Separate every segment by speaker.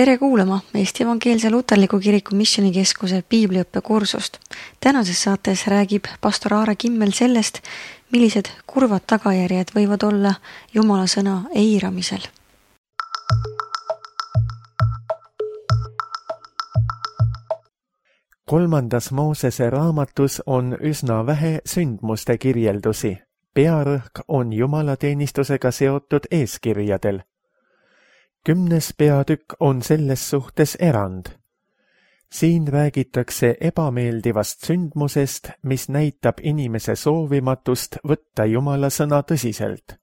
Speaker 1: Tere kuulama Eesti Evangeelse Luterliku Kiriku Missioonikeskuse piibliõppekursust. Tänases saates räägib pastor Aare Kimmel sellest, millised kurvad tagajärjed võivad olla Jumala sõna eiramisel.
Speaker 2: Kolmandas Moosese raamatus on üsna vähe sündmuste kirjeldusi. Pearõhk on jumalateenistusega seotud eeskirjadel. 10. peatükk on selles suhtes erand. Siin räägitakse ebameeldivast sündmusest, mis näitab inimese soovimatust võtta Jumala sõna tõsiselt.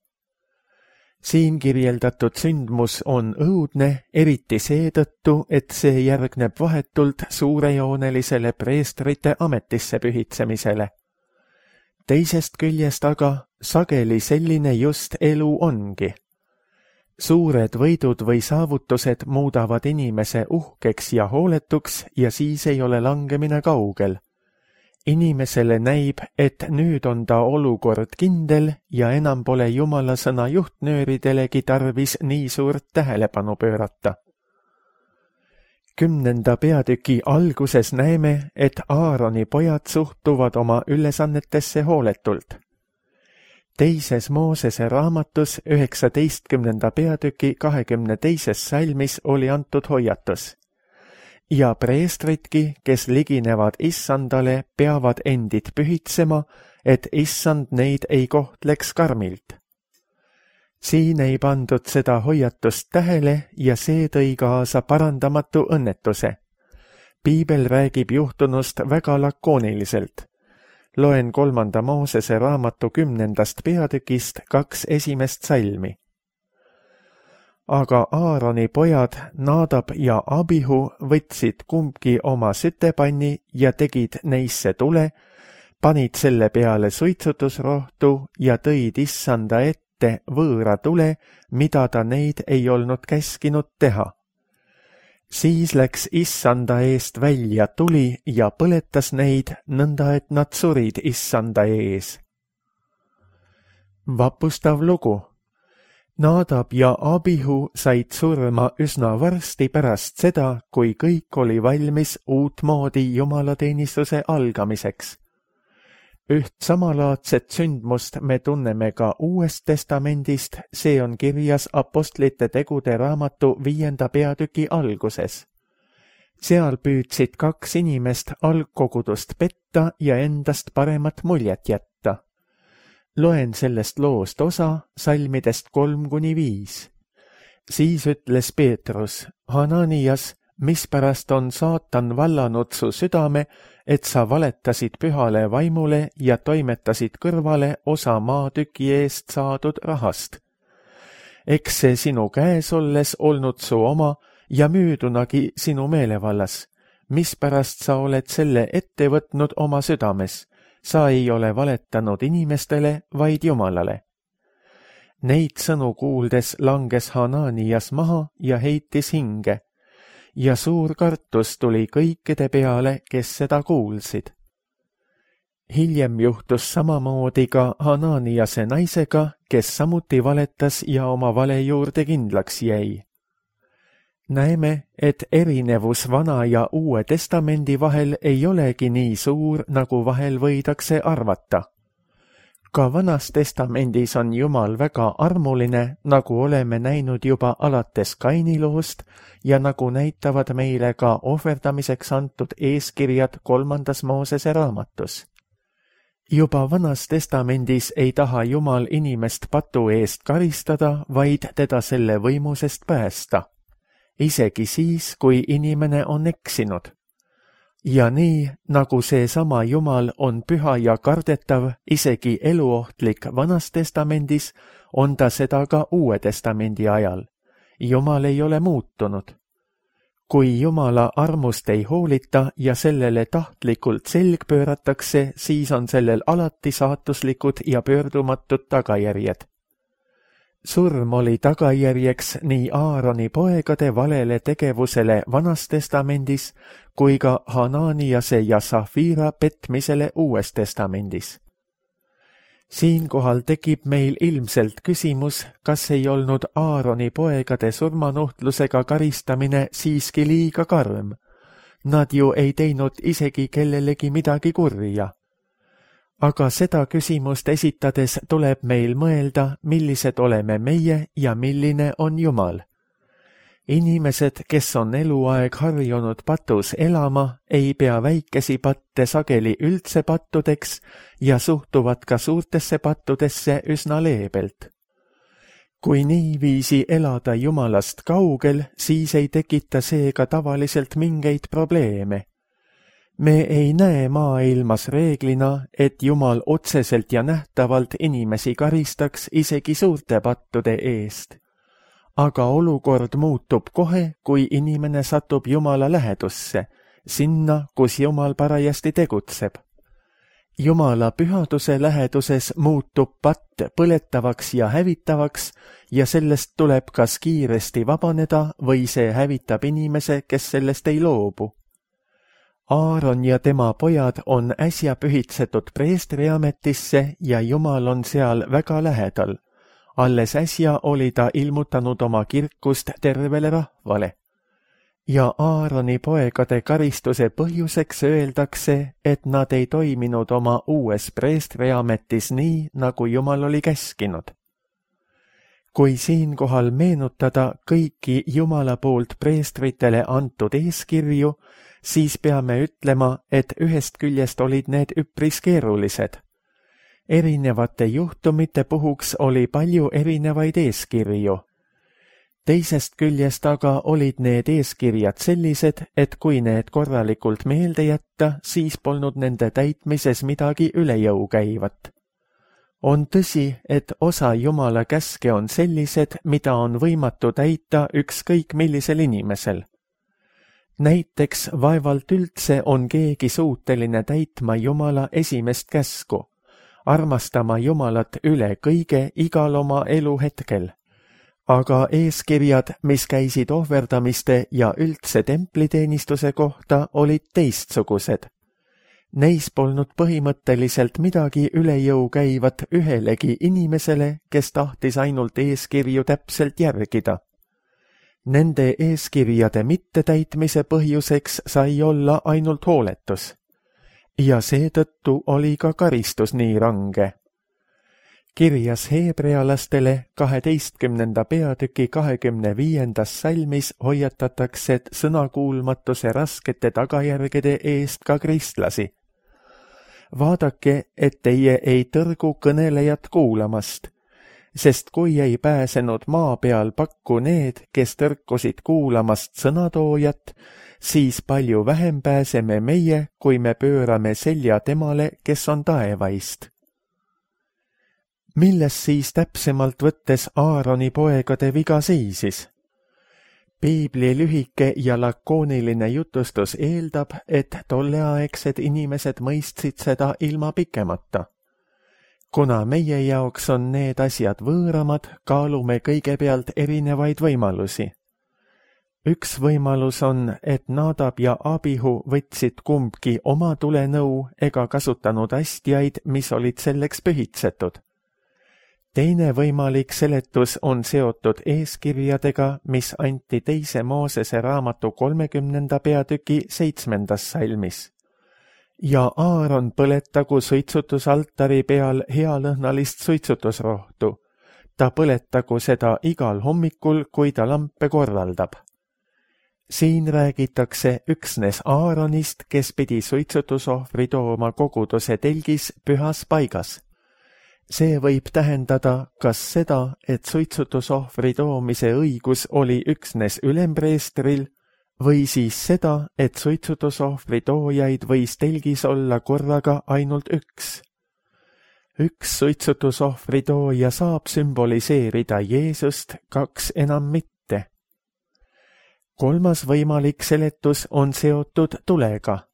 Speaker 2: Siin kirjeldatud sündmus on õudne, eriti seetõttu, et see järgneb vahetult suurejoonelisele preestrite ametisse pühitsemisele. Teisest küljest aga sageli selline just elu ongi. Suured võidud või saavutused muudavad inimese uhkeks ja hooletuks ja siis ei ole langemine kaugel. Inimesele näib, et nüüd on ta olukord kindel ja enam pole Jumala sõna juhtnööridelegi tarvis nii suurt tähelepanu pöörata. 10. peatüki alguses näeme, et Aaroni pojad suhtuvad oma ülesannetesse hooletult. Teises Moosese raamatus 19. peatüki 22. salmis oli antud hoiatus. Ja preestritki, kes liginevad issandale, peavad endid pühitsema, et issand neid ei kohtleks karmilt. Siin ei pandud seda hoiatust tähele ja see tõi kaasa parandamatu õnnetuse. Piibel räägib juhtunust väga lakooniliselt. Loen 3. Moosese raamatu 10. peatükist 2 esimest salmi. Aga Aaroni pojad Nadab ja Abihu võtsid kumbki oma sütepanni ja tegid neisse tule, panid selle peale suitsutusrohtu ja tõid issanda ette võõra tule, mida ta neid ei olnud käskinud teha. Siis läks issanda eest välja tuli ja põletas neid, nõnda et nad surid issanda ees. Vapustav lugu. Nadab ja Abihu said surma üsna varsti pärast seda, kui kõik oli valmis uutmoodi jumalateenistuse algamiseks. Üht samalaadset sündmust me tunneme ka Uuest Testamendist, see on kirjas Apostlite tegude raamatu 5. peatüki alguses. Seal püüdsid 2 inimest algkogudust petta ja endast paremat muljet jätta. Loen sellest loost osa salmidest 3-5. Siis ütles Peetrus, Hananias, mispärast on saatan vallanud su südame, et sa valetasid pühale vaimule ja toimetasid kõrvale osa maatüki eest saadud rahast. Eks see sinu käes olles olnud su oma ja müüdunagi sinu meelevallas. Mispärast sa oled selle ette võtnud oma südames? Sa ei ole valetanud inimestele, vaid Jumalale. Neid sõnu kuuldes langes Hananias maha ja heitis hinge. Ja suur kartus tuli kõikide peale, kes seda kuulsid. Hiljem juhtus samamoodi ka Hananiase naisega, kes samuti valetas ja oma vale juurde kindlaks jäi. Näeme, et erinevus Vana ja Uue Testamendi vahel ei olegi nii suur, nagu vahel võidakse arvata. Ka Vanas Testamendis on Jumal väga armuline, nagu oleme näinud juba alates Kaini loost ja nagu näitavad meile ka ohverdamiseks antud eeskirjad 3. Moosese raamatus. Juba Vanas Testamendis ei taha Jumal inimest patu eest karistada, vaid teda selle võimusest päästa. Isegi siis, kui inimene on eksinud. Ja nii, nagu seesama Jumal on püha ja kardetav, isegi eluohtlik Vanas Testamendis, on ta seda ka Uue Testamendi ajal. Jumal ei ole muutunud. Kui Jumala armust ei hoolita ja sellele tahtlikult selg pööratakse, siis on sellel alati saatuslikud ja pöördumatud tagajärjed. Surm oli tagajärjeks nii Aaroni poegade valele tegevusele Vanas Testamendis kui ka Hananiase ja Safira petmisele Uues Testamendis. Siinkohal tekib meil ilmselt küsimus, kas ei olnud Aaroni poegade surmanuhtlusega karistamine siiski liiga karm. Nad ju ei teinud isegi kellelegi midagi kurja. Aga seda küsimust esitades tuleb meil mõelda, millised oleme meie ja milline on Jumal. Inimesed, kes on eluaeg harjunud patus elama, ei pea väikesi patte sageli üldse pattudeks ja suhtuvad ka suurtesse pattudesse üsna leebelt. Kui niiviisi elada Jumalast kaugel, siis ei tekita seega tavaliselt mingeid probleeme. Me ei näe maailmas reeglina, et Jumal otseselt ja nähtavalt inimesi karistaks isegi suurte pattude eest. Aga olukord muutub kohe, kui inimene satub Jumala lähedusse, sinna, kus Jumal parajasti tegutseb. Jumala pühaduse läheduses muutub patt põletavaks ja hävitavaks ja sellest tuleb kas kiiresti vabaneda või see hävitab inimese, kes sellest ei loobu. Aaron ja tema pojad on äsja pühitsetud preestriametisse ja Jumal on seal väga lähedal. Alles äsja oli ta ilmutanud oma kirkust tervele rahvale. Ja Aaroni poegade karistuse põhjuseks öeldakse, et nad ei toiminud oma uues preestriametis nii, nagu Jumal oli käskinud. Kui siinkohal meenutada kõiki Jumala poolt preestritele antud eeskirju, siis peame ütlema, et ühest küljest olid need üpris keerulised. Erinevate juhtumite puhuks oli palju erinevaid eeskirju. Teisest küljest aga olid need eeskirjad sellised, et kui need korralikult meelde jätta, siis polnud nende täitmises midagi üle jõu käivat. On tõsi, et osa Jumala käske on sellised, mida on võimatu täita ükskõik millisel inimesel. Näiteks vaevalt üldse on keegi suuteline täitma Jumala esimest käsku, armastama Jumalat üle kõige igal oma eluhetkel. Aga eeskirjad, mis käisid ohverdamiste ja üldse templiteenistuse kohta, olid teistsugused. Neis polnud põhimõtteliselt midagi üle jõu käivat ühelegi inimesele, kes tahtis ainult eeskirju täpselt järgida. Nende eeskirjade mittetäitmise põhjuseks sai olla ainult hooletus. Ja seetõttu oli ka karistus nii range. Kirjas heebrealastele 12. peatüki 25. salmis hoiatatakse sõnakuulmatuse raskete tagajärgede eest ka kristlasi. Vaadake, et teie ei tõrgu kõnelejat kuulamast, sest kui ei pääsenud maa peal pakku need, kes tõrkusid kuulamast sõnatoojat, siis palju vähem pääseme meie, kui me pöörame selja temale, kes on taevaist. Milles siis täpsemalt võttes Aaroni poegade viga seisis? Piibli lühike ja lakooniline jutustus eeldab, et tolleaegsed inimesed mõistsid seda ilma pikemata. Kuna meie jaoks on need asjad võõramad, kaalume kõigepealt erinevaid võimalusi. Üks võimalus on, et Nadab ja Abihu võtsid kumbki oma tulenõu ega kasutanud astjaid, mis olid selleks pühitsetud. Teine võimalik seletus on seotud eeskirjadega, mis anti teise Moosese raamatu 30. peatüki 7. salmis. Ja Aaron põletagu suitsutusaltari peal healõhnalist suitsutusrohtu. Ta põletagu seda igal hommikul, kui ta lampe korraldab. Siin räägitakse üksnes Aaronist, kes pidi suitsutusohvri tooma koguduse telgis pühas paigas. See võib tähendada kas seda, et suitsutusohvri toomise õigus oli üksnes ülempreestril, või siis seda, et suitsutusohvri toojaid võis telgis olla korraga ainult üks. Üks suitsutusohvri tooja saab sümboliseerida Jeesust, kaks enam mitte. Kolmas võimalik seletus on seotud tulega.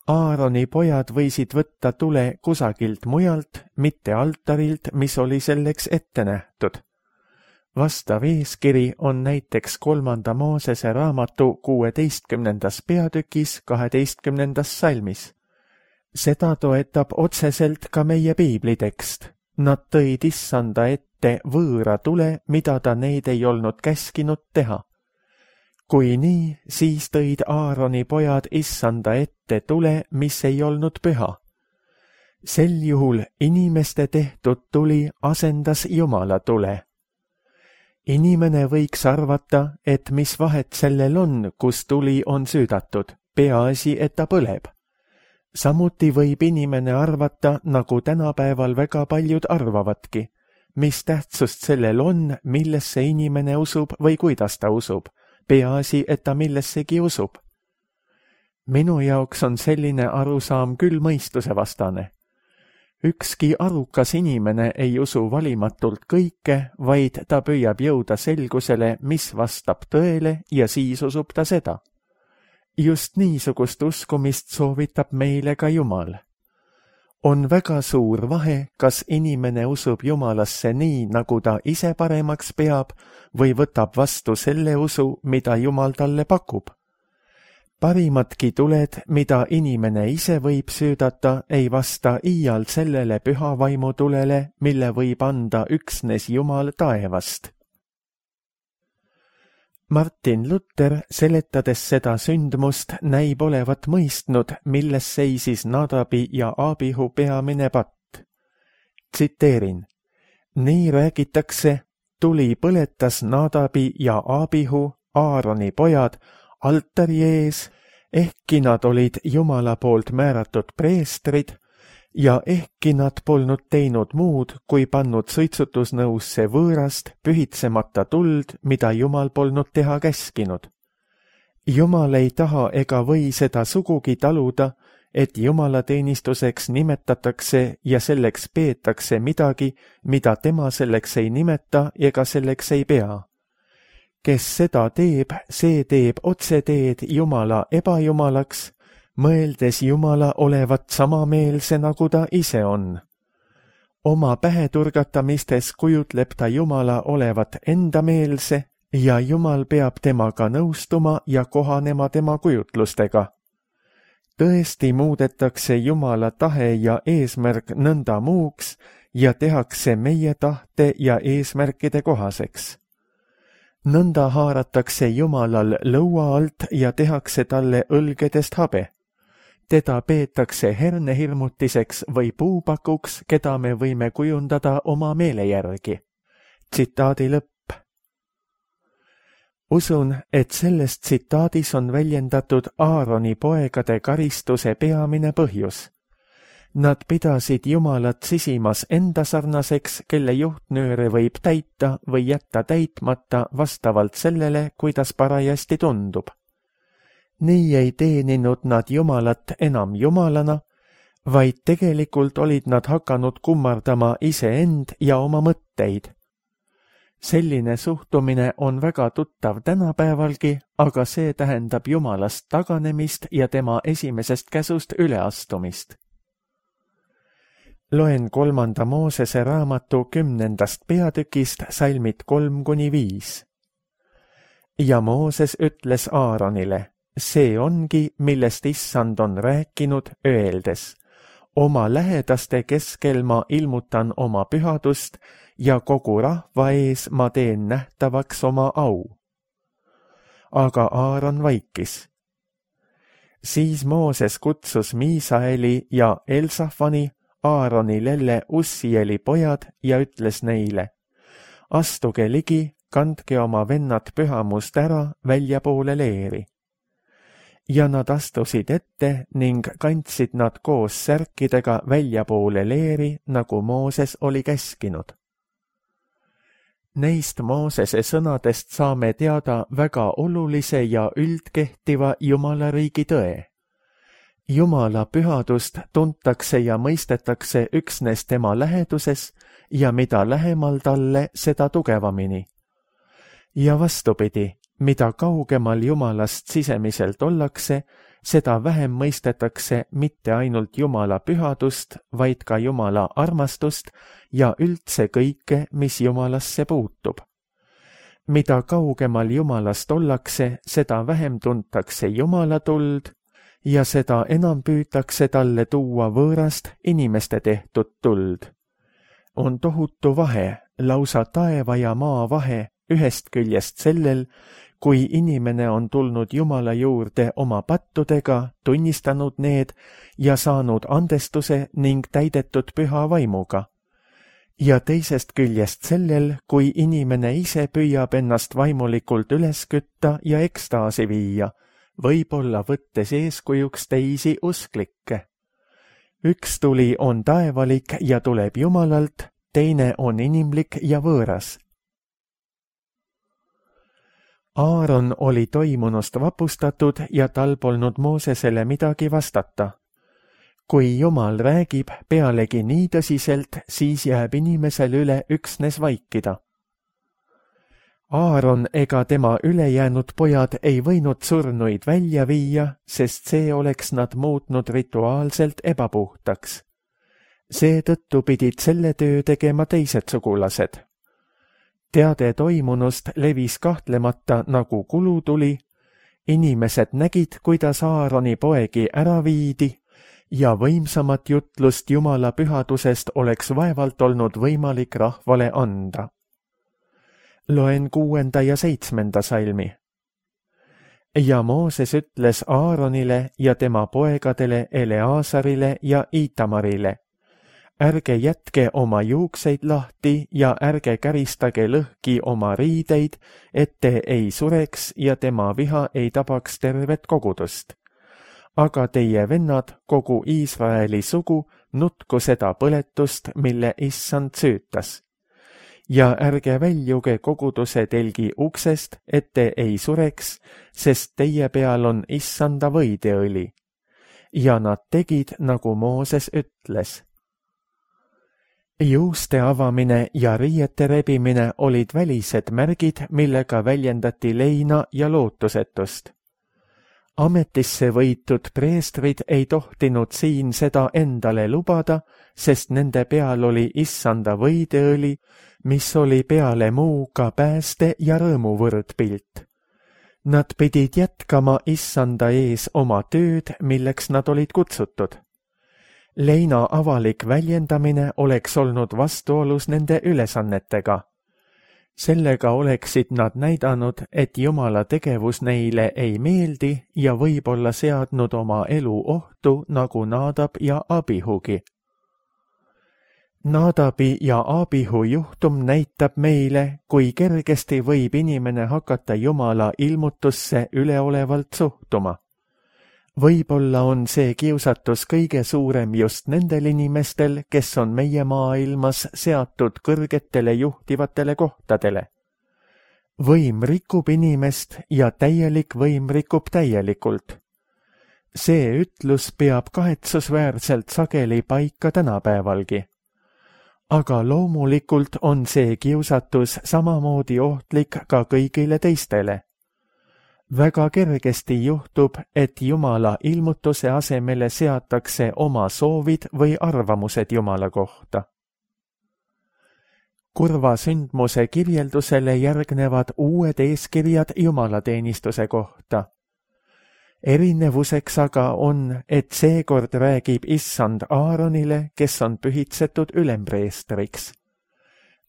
Speaker 2: Aaroni pojad võisid võtta tule kusagilt mujalt, mitte altarilt, mis oli selleks ette nähtud. Vastav eeskiri on näiteks 3. Moosese raamatu 16. peatükis 12. salmis. Seda toetab otseselt ka meie piiblitekst. Nad tõid issanda ette võõra tule, mida ta neid ei olnud käskinud teha. Kui nii, siis tõid Aaroni pojad issanda ette tule, mis ei olnud püha. Sel juhul inimeste tehtud tuli asendas Jumala tule. Inimene võiks arvata, et mis vahet sellel on, kus tuli on süüdatud, peaasi, et ta põleb. Samuti võib inimene arvata, nagu tänapäeval väga paljud arvavadki, mis tähtsust sellel on, millesse inimene usub või kuidas ta usub, peaasi, et ta millessegi usub. Minu jaoks on selline arusaam küll mõistusevastane. Ükski arukas inimene ei usu valimatult kõike, vaid ta püüab jõuda selgusele, mis vastab tõele ja siis usub ta seda. Just niisugust uskumist soovitab meile ka Jumal. On väga suur vahe, kas inimene usub Jumalasse nii, nagu ta ise paremaks peab, või võtab vastu selle usu, mida Jumal talle pakub. Parimadki tuled, mida inimene ise võib süüdata, ei vasta iial sellele püha vaimu tulele, mille võib anda üksnes Jumal taevast. Martin Luther, seletades seda sündmust, näib olevat mõistnud, milles seisis Nadabi ja Abihu peamine patt. Tsiteerin. Nii räägitakse, tuli põletas Nadabi ja Abihu, Aaroni pojad, altari ees, ehkki nad olid Jumala poolt määratud preestrid ja ehkki nad polnud teinud muud, kui pannud suitsutusnõusse võõrast, pühitsemata tuld, mida Jumal polnud teha käskinud. Jumal ei taha ega või seda sugugi taluda, et jumalateenistuseks nimetatakse ja selleks peetakse midagi, mida tema selleks ei nimeta ega selleks ei pea. Kes seda teeb, see teeb otseteed Jumala ebajumalaks, mõeldes Jumala olevat samameelse, nagu ta ise on. Oma päheturgatamistes kujutleb ta Jumala olevat endameelse ja Jumal peab temaga nõustuma ja kohanema tema kujutlustega. Tõesti muudetakse Jumala tahe ja eesmärk nõnda muuks ja tehakse meie tahte ja eesmärkide kohaseks. Nõnda haaratakse Jumalal lõua alt ja tehakse talle õlgedest habe. Teda peetakse hernehirmutiseks või puupakuks, keda me võime kujundada oma meele järgi. Tsitaadi lõpp. Usun, et selles tsitaadis on väljendatud Aaroni poegade karistuse peamine põhjus. Nad pidasid Jumalat sisimas endasarnaseks, kelle juhtnööre võib täita või jätta täitmata vastavalt sellele, kuidas parajasti tundub. Nii ei teeninud nad Jumalat enam Jumalana, vaid tegelikult olid nad hakanud kummardama iseend ja oma mõtteid. Selline suhtumine on väga tuttav tänapäevalgi, aga see tähendab Jumalast taganemist ja tema esimesest käsust üleastumist. Loen 3. Moosese raamatu 10. peatükist salmid 3-5. Ja Mooses ütles Aaronile, see ongi, millest issand on rääkinud, öeldes, oma lähedaste keskel ma ilmutan oma pühadust ja kogu rahva ees ma teen nähtavaks oma au. Aga Aaron vaikis. Siis Mooses kutsus Miisaeli ja Elsafani, Aaroni lelle Ussieli pojad ja ütles neile, astuge ligi, kandke oma vennad pühamust ära väljapoole leeri. Ja nad astusid ette ning kandsid nad koos särkidega väljapoole leeri, nagu Mooses oli käskinud. Neist Moosese sõnadest saame teada väga olulise ja üldkehtiva Jumala riigi tõe. Jumala pühadust tuntakse ja mõistetakse üksnes tema läheduses ja mida lähemal talle, seda tugevamini. Ja vastupidi, mida kaugemal Jumalast sisemiselt ollakse, seda vähem mõistetakse mitte ainult Jumala pühadust, vaid ka Jumala armastust ja üldse kõike, mis Jumalasse puutub. Mida kaugemal Jumalast ollakse, seda vähem tuntakse Jumala tuld ja seda enam püütakse talle tuua võõrast inimeste tehtud tuld. On tohutu vahe, lausa taeva ja maa vahe ühest küljest sellel, kui inimene on tulnud Jumala juurde oma pattudega, tunnistanud need ja saanud andestuse ning täidetud püha vaimuga. Ja teisest küljest sellel, kui inimene ise püüab ennast vaimulikult üles kütta ja ekstaasi viia, võib-olla võttes eeskujuks teisi usklikke. Üks tuli on taevalik ja tuleb Jumalalt, teine on inimlik ja võõras. Aaron oli toimunust vapustatud ja tal polnud Moosesele midagi vastata. Kui Jumal räägib pealegi nii tõsiselt, siis jääb inimesel üle üksnes vaikida. Aaron ega tema ülejäänud pojad ei võinud surnuid välja viia, sest see oleks nad muutnud rituaalselt ebapuhtaks. Seetõttu pidid selle töö tegema teised sugulased. Teade toimunust levis kahtlemata nagu kulutuli, inimesed nägid, kuidas Aaroni poegi ära viidi ja võimsamat jutlust Jumala pühadusest oleks vaevalt olnud võimalik rahvale anda. Loen 6. ja 7. salmi. Ja Mooses ütles Aaronile ja tema poegadele Eleasarile ja Itamarile: ärge jätke oma juukseid lahti ja ärge käristage lõhki oma riideid, et te ei sureks ja tema viha ei tabaks tervet kogudust. Aga teie vennad, kogu Iisraeli sugu, nutku seda põletust, mille Issand süütas. Ja ärge väljuge koguduse telgi uksest, et te ei sureks, sest teie peal on Issanda võideõli. Ja nad tegid, nagu Mooses ütles. Juuste avamine ja riiete rebimine olid välised märgid, millega väljendati leina ja lootusetust. Ametisse võitud preestrid ei tohtinud siin seda endale lubada, sest nende peal oli Issanda võideõli, mis oli peale muu ka pääste ja rõõmu võrdpilt. Nad pidid jätkama Issanda ees oma tööd, milleks nad olid kutsutud. Leina avalik väljendamine oleks olnud vastuolus nende ülesannetega. Sellega oleksid nad näidanud, et Jumala tegevus neile ei meeldi ja võib-olla seadnud oma elu ohtu, nagu Nadab ja Abihugi. Nadabi ja Abihu juhtum näitab meile, kui kergesti võib inimene hakata Jumala ilmutusse üleolevalt suhtuma. Võib-olla on see kiusatus kõige suurem just nendel inimestel, kes on meie maailmas seatud kõrgetele juhtivatele kohtadele. Võim rikub inimest ja täielik võim rikub täielikult. See ütlus peab kahetsusväärselt sageli paika tänapäevalgi. Aga loomulikult on see kiusatus samamoodi ohtlik ka kõigile teistele. Väga kergesti juhtub, et Jumala ilmutuse asemele seatakse oma soovid või arvamused Jumala kohta. Kurva sündmuse kirjeldusele järgnevad uued eeskirjad jumalateenistuse kohta. Erinevuseks aga on, et seekord räägib Issand Aaronile, kes on pühitsetud ülempreestriks.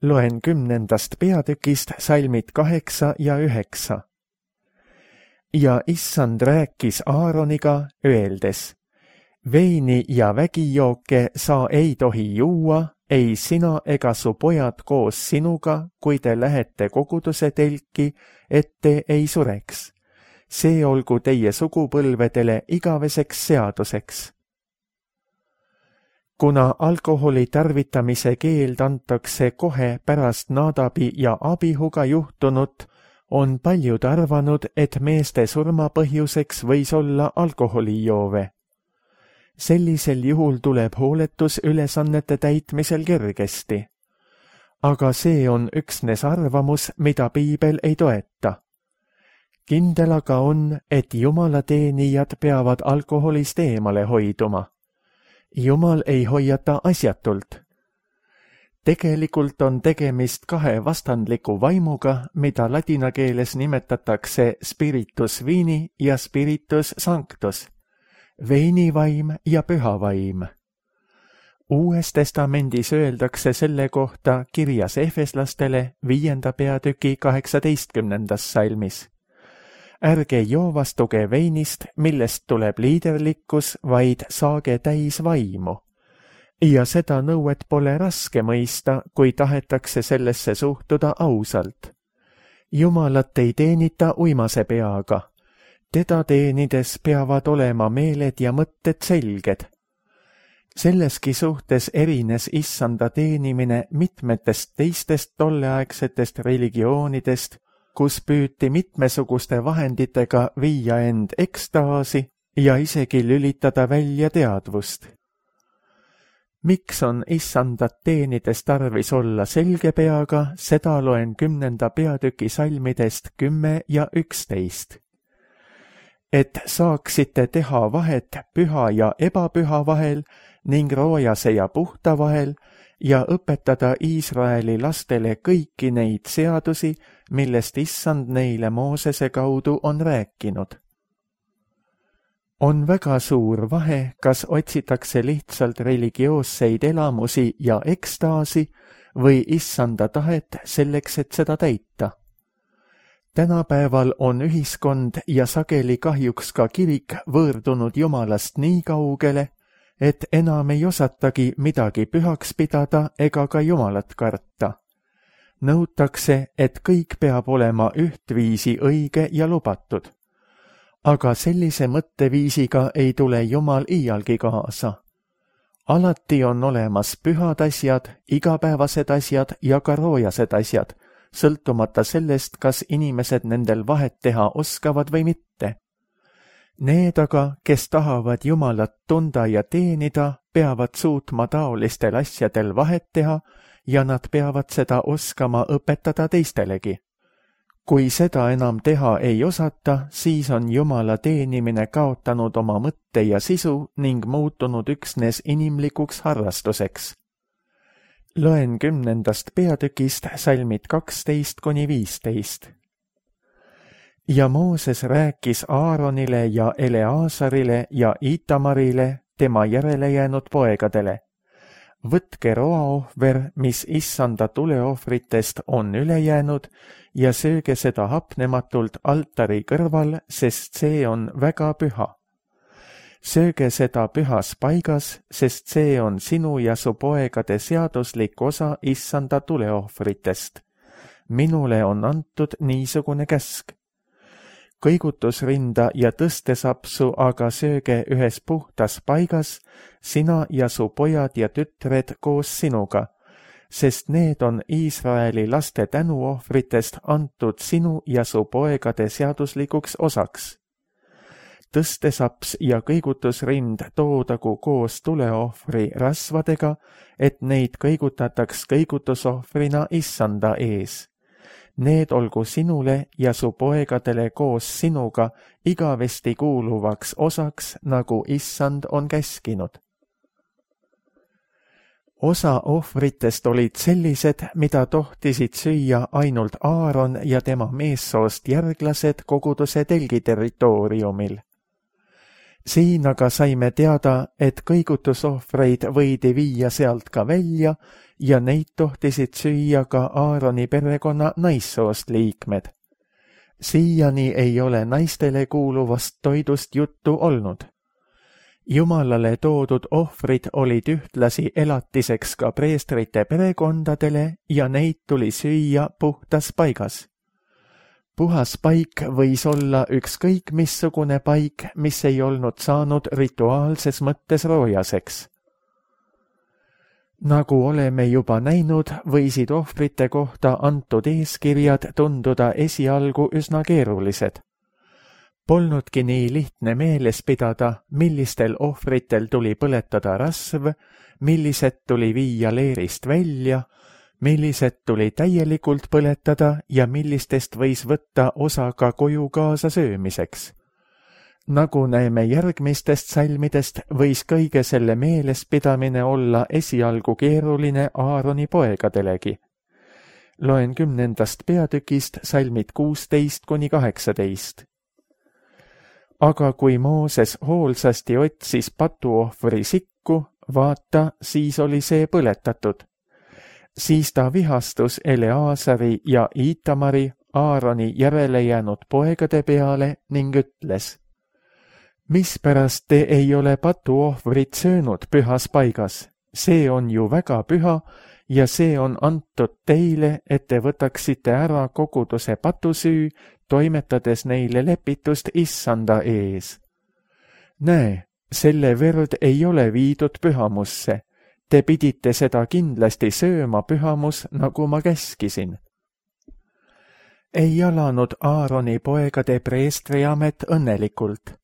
Speaker 2: Loen 10. peatükist salmid 8 ja 9. Ja Issand rääkis Aaroniga, öeldes: veini ja vägijooke sa ei tohi juua, ei sina ega su pojad koos sinuga, kui te lähete koguduse telki, et te ei sureks. See olgu teie sugupõlvedele igaveseks seaduseks. Kuna alkoholi tarvitamise keeld antakse kohe pärast Nadabi ja Abihuga juhtunut, on paljud arvanud, et meeste surmapõhjuseks võis olla alkoholijoove. Sellisel juhul tuleb hooletus ülesannete täitmisel kergesti. Aga see on üksnes arvamus, mida piibel ei toeta. Kindel aga on, et jumalateenijad peavad alkoholist eemale hoiduma. Jumal ei hoiata asjatult. Tegelikult on tegemist kahe vastandliku vaimuga, mida ladina keeles nimetatakse spiritus vini ja spiritus sanctus. veinivaim ja pühavaim. Uues testamendis öeldakse selle kohta kirjas Efeslastele 5. peatüki 18. salmis. Ärge joovastuge veinist, millest tuleb liiderlikkus, vaid saage täis vaimu. Ja seda nõuet pole raske mõista, kui tahetakse sellesse suhtuda ausalt. Jumalat ei teenita uimase peaga. Teda teenides peavad olema meeled ja mõtted selged. Selleski suhtes erines issanda teenimine mitmetest teistest tolleaegsetest religioonidest, kus püüti mitmesuguste vahenditega viia end ekstaasi ja isegi lülitada välja teadvust. Miks on issandat teenides tarvis olla selge peaga, seda loen 10. peatüki salmidest 10 ja 11. Et saaksite teha vahet püha ja ebapüha vahel ning roojase ja puhta vahel ja õpetada Iisraeli lastele kõiki neid seadusi, millest issand neile Moosese kaudu on rääkinud. On väga suur vahe, kas otsitakse lihtsalt religioosseid elamusi ja ekstaasi või issanda tahet selleks, et seda täita. Tänapäeval on ühiskond ja sageli kahjuks ka kirik võõrdunud Jumalast nii kaugele, et enam ei osatagi midagi pühaks pidada ega ka Jumalat karta. Nõutakse, et kõik peab olema ühtviisi õige ja lubatud. Aga sellise mõtteviisiga ei tule Jumal iialgi kaasa. Alati on olemas pühad asjad, igapäevased asjad ja ka roojased asjad, sõltumata sellest, kas inimesed nendel vahet teha oskavad või mitte. Need aga, kes tahavad Jumalat tunda ja teenida, peavad suutma taolistel asjadel vahet teha ja nad peavad seda oskama õpetada teistelegi. Kui seda enam teha ei osata, siis on Jumala teenimine kaotanud oma mõtte ja sisu ning muutunud üksnes inimlikuks harrastuseks. Loen 10. peatükist salmid 12–15. Ja Mooses rääkis Aaronile ja Eleasarile ja Itamarile, tema järele jäänud poegadele. Võtke roaohver, mis issanda tuleohvritest on üle jäänud, ja sööge seda hapnematult altari kõrval, sest see on väga püha. Sööge seda pühas paigas, sest see on sinu ja su poegade seaduslik osa issanda tuleohvritest. Minule on antud niisugune käsk. Kõigutusrinda ja tõstesapsu aga sööge ühes puhtas paigas, sina ja su pojad ja tütred koos sinuga, sest need on Iisraeli laste tänuohvritest antud sinu ja su poegade seaduslikuks osaks. Tõstesaps ja kõigutusrind toodagu koos tuleohvri rasvadega, et neid kõigutataks kõigutusohvrina issanda ees. Need olgu sinule ja su poegadele koos sinuga igavesti kuuluvaks osaks, nagu issand on käskinud. Osa ohvritest olid sellised, mida tohtisid süüa ainult Aaron ja tema meessoost järglased koguduse telgi territooriumil. Siin aga saime teada, et kõigutusohvreid võidi viia sealt ka välja ja neid tohtisid süüa ka Aaroni perekonna naissoost liikmed. Siiani ei ole naistele kuuluvast toidust juttu olnud. Jumalale toodud ohvrid olid ühtlasi elatiseks ka preestrite perekondadele ja neid tuli süüa puhtas paigas. Puhas paik võis olla ükskõik missugune paik, mis ei olnud saanud rituaalses mõttes roojaseks. Nagu oleme juba näinud, võisid ohvrite kohta antud eeskirjad tunduda esialgu üsna keerulised. Polnudki nii lihtne meeles pidada, millistel ohvritel tuli põletada rasv, millised tuli viia leerist välja, millised tuli täielikult põletada ja millistest võis võtta osa ka koju kaasa söömiseks. Nagu näeme järgmistest salmidest, võis kõige selle meelespidamine olla esialgu keeruline Aaroni poegadelegi. Loen 10. peatükist salmid 16–18. Aga kui Mooses hoolsasti otsis patuohvri sikku, vaata, siis oli see põletatud. Siis ta vihastus Eleazari ja Itamari, Aaroni järele jäänud poegade peale ning ütles: mispärast te ei ole patuohvrit söönud pühas paigas? See on ju väga püha ja see on antud teile, et te võtaksite ära koguduse patusüü, toimetades neile lepitust Issanda ees. Näe, selle verd ei ole viidud pühamusse. Te pidite seda kindlasti sööma pühamus, nagu ma käskisin. Ei alanud Aaroni poegade preestriamet õnnelikult.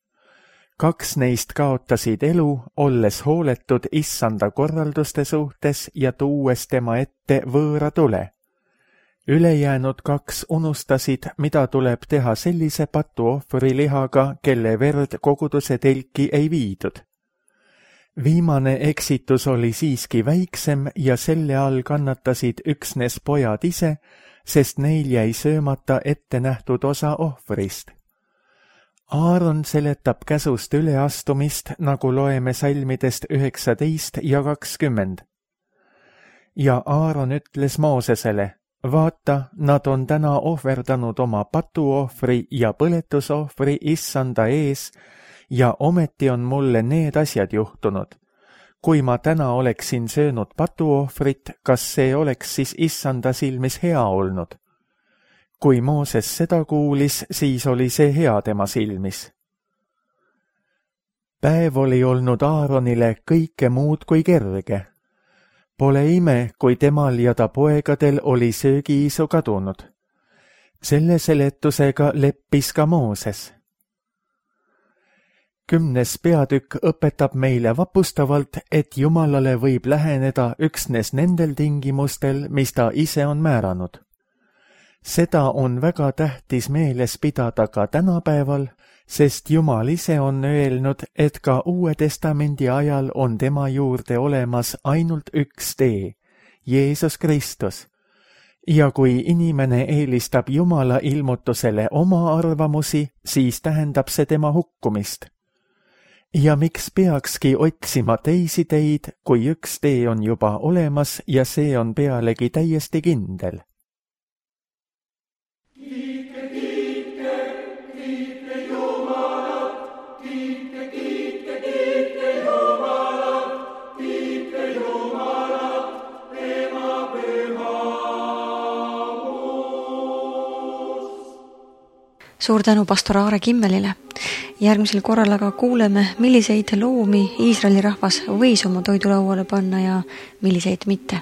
Speaker 2: 2 neist kaotasid elu, olles hooletud Issanda korralduste suhtes ja tuues tema ette võõra tule. Ülejäänud 2 unustasid, mida tuleb teha sellise patuohvri lihaga, kelle verd koguduse telki ei viidud. Viimane eksitus oli siiski väiksem ja selle all kannatasid üksnes pojad ise, sest neil jäi söömata ette nähtud osa ohvrist. Aaron seletab käsust üleastumist, nagu loeme salmidest 19 ja 20. Ja Aaron ütles Moosesele: vaata, nad on täna ohverdanud oma patuohvri ja põletusohvri Issanda ees, ja ometi on mulle need asjad juhtunud. Kui ma täna oleksin söönud patuohvrit, kas see oleks siis Issanda silmis hea olnud? Kui Mooses seda kuulis, siis oli see hea tema silmis. Päev oli olnud Aaronile kõike muud kui kerge. Pole ime, kui temal ja ta poegadel oli söögiisu kadunud. Selle seletusega leppis ka Mooses. 10. peatükk õpetab meile vapustavalt, et Jumalale võib läheneda üksnes nendel tingimustel, mis ta ise on määranud. Seda on väga tähtis meeles pidada ka tänapäeval, sest Jumal ise on öelnud, et ka Uue Testamendi ajal on tema juurde olemas ainult üks tee, Jeesus Kristus. Ja kui inimene eelistab Jumala ilmutusele oma arvamusi, siis tähendab see tema hukkumist. Ja miks peakski otsima teisi teid, kui üks tee on juba olemas ja see on pealegi täiesti kindel?
Speaker 1: Suur tänu pastor Aare Kimmelile. Järgmisel korral aga kuuleme, milliseid loomi Iisraeli rahvas võis oma toidulauale panna ja milliseid mitte.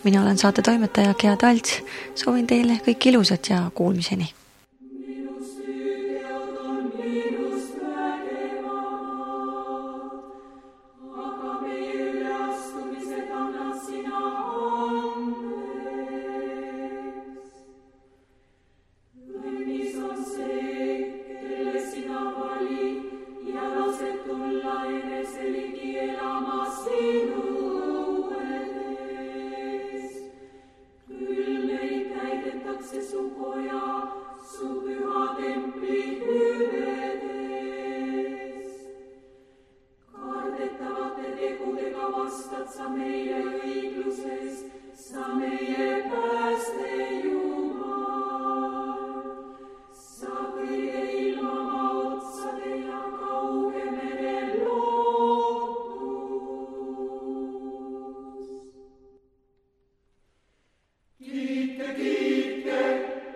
Speaker 1: Mina olen saate toimetaja Gea Talts. Soovin teile kõik ilusat ja kuulmiseni.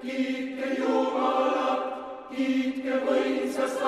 Speaker 3: Kiitke Jumalat, kiitke võimsast